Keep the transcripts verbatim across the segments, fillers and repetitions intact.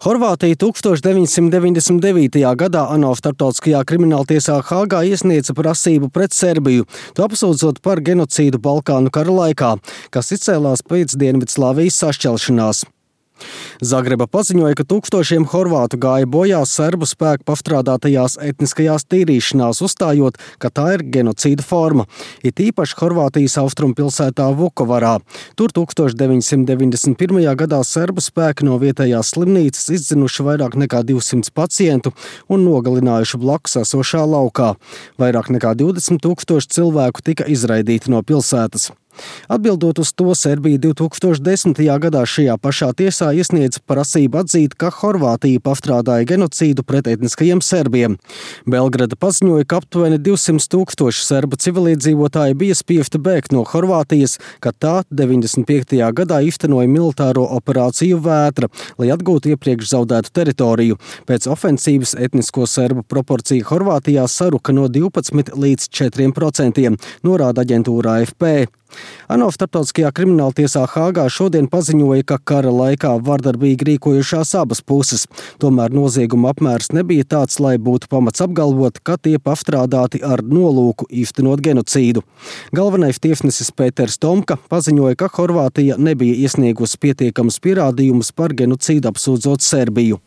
Horvātija tukstovs deviņsimt deviņdesmit devītajā gadā ANO starptautiskajā krimināltiesā Hāgā iesniedza prasību pret Serbiju, to apsūdzot par genocīdu Balkānu kara laikā, kas izcēlās pēc Dienvidslāvijas sašķelšanās. Zagreba paziņoja, ka tūkstošiem horvātu gāja bojā serbu spēku pastrādātajās etniskajās tīrīšanās, uzstājot, ka tā ir genocīda forma. It īpaši Horvātijas austrumu pilsētā Vukovarā. Tur deviņsimt deviņdesmit pirmajā gadā serbu spēki no vietējās slimnīcas izdzinuši vairāk nekā divsimt pacientu un nogalinājuši blakus esošā laukā. Vairāk nekā divdesmit tūkstoši cilvēku tika izraidīti no pilsētas. Atbildot uz to, Serbija divtūkstoš desmitajā gadā šajā pašā tiesā iesniedza prasību atzīt, ka Horvātija pastrādāja genocīdu pret etniskajiem serbiem. Belgrada paziņoja, ka aptuveni divsimt tūkstoši serbu civiliedzīvotāji bija spiesti bēgt no Horvātijas, kad tā deviņdesmit piektajā gadā īstenoja militāro operāciju Vētra, lai atgūtu iepriekš zaudētu teritoriju. Pēc ofensīvas etnisko serbu proporcija Horvātijā saruka no divpadsmit līdz četriem procentiem, norāda aģentūra A F P. ANO starptautiskajā krimināltiesā Hāgā šodien paziņoja, ka kara laikā vardarbīgi rīkojušās abas puses. Tomēr nozieguma apmērs nebija tāds, lai būtu pamats apgalvot, ka tie pastrādāti ar nolūku īstenot genocīdu. Galvenais tiesnesis Pēters Tomka paziņoja, ka Horvātija nebija iesniegusi pietiekamus pierādījumus par genocīdu apsūdzot Serbiju.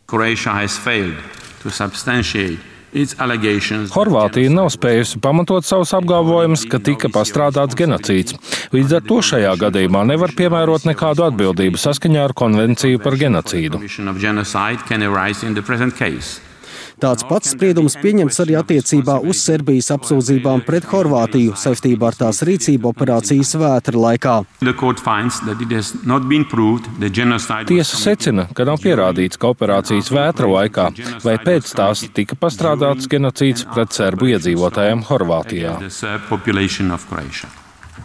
Horvātija nav spējusi pamatot savus apgalvojumus, ka tika pastrādāts genocīds. Līdz ar to šajā gadījumā nevar piemērot nekādu atbildību saskaņā ar konvenciju par genocīdu. Tāds pats spriedums pieņemts arī attiecībā uz Serbijas apsūdzībām pret Horvātiju saistībā ar tās rīcību operācijas Vētra laikā. Tiesa secina, ka nav pierādīts, ka operācijas Vētra laikā vai pēc tās tika pastrādāts genocīds pret serbu iedzīvotājiem Horvātijā.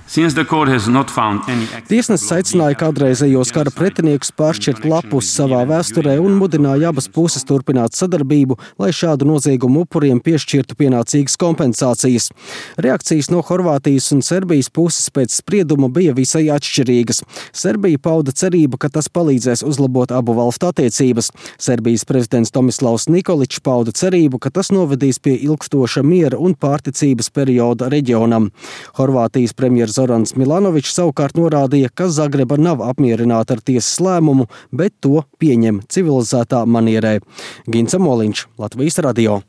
Tiesnesis aicināja kādreizējos kara pretiniekus pāršķirt lapus savā vēsturē un mudināja abas puses turpināt sadarbību, lai šādu noziegumu upuriem piešķirtu pienācīgas kompensācijas. Reakcijas no Horvātijas un Serbijas puses pēc sprieduma bija visai atšķirīgas. Serbija pauda cerību, ka tas palīdzēs uzlabot abu valstu attiecības. Serbijas prezidents Tomislavs Nikoličs pauda cerību, ka tas novedīs pie ilgstoša miera un pārticības perioda reģionam. Horvātijas premjers Zorans Milanovičs savukārt norādīja, ka Zagreba nav apmierināta ar tiesas lēmumu, bet to pieņem civilizētā manierē. Gints Amoliņš, Latvijas radio.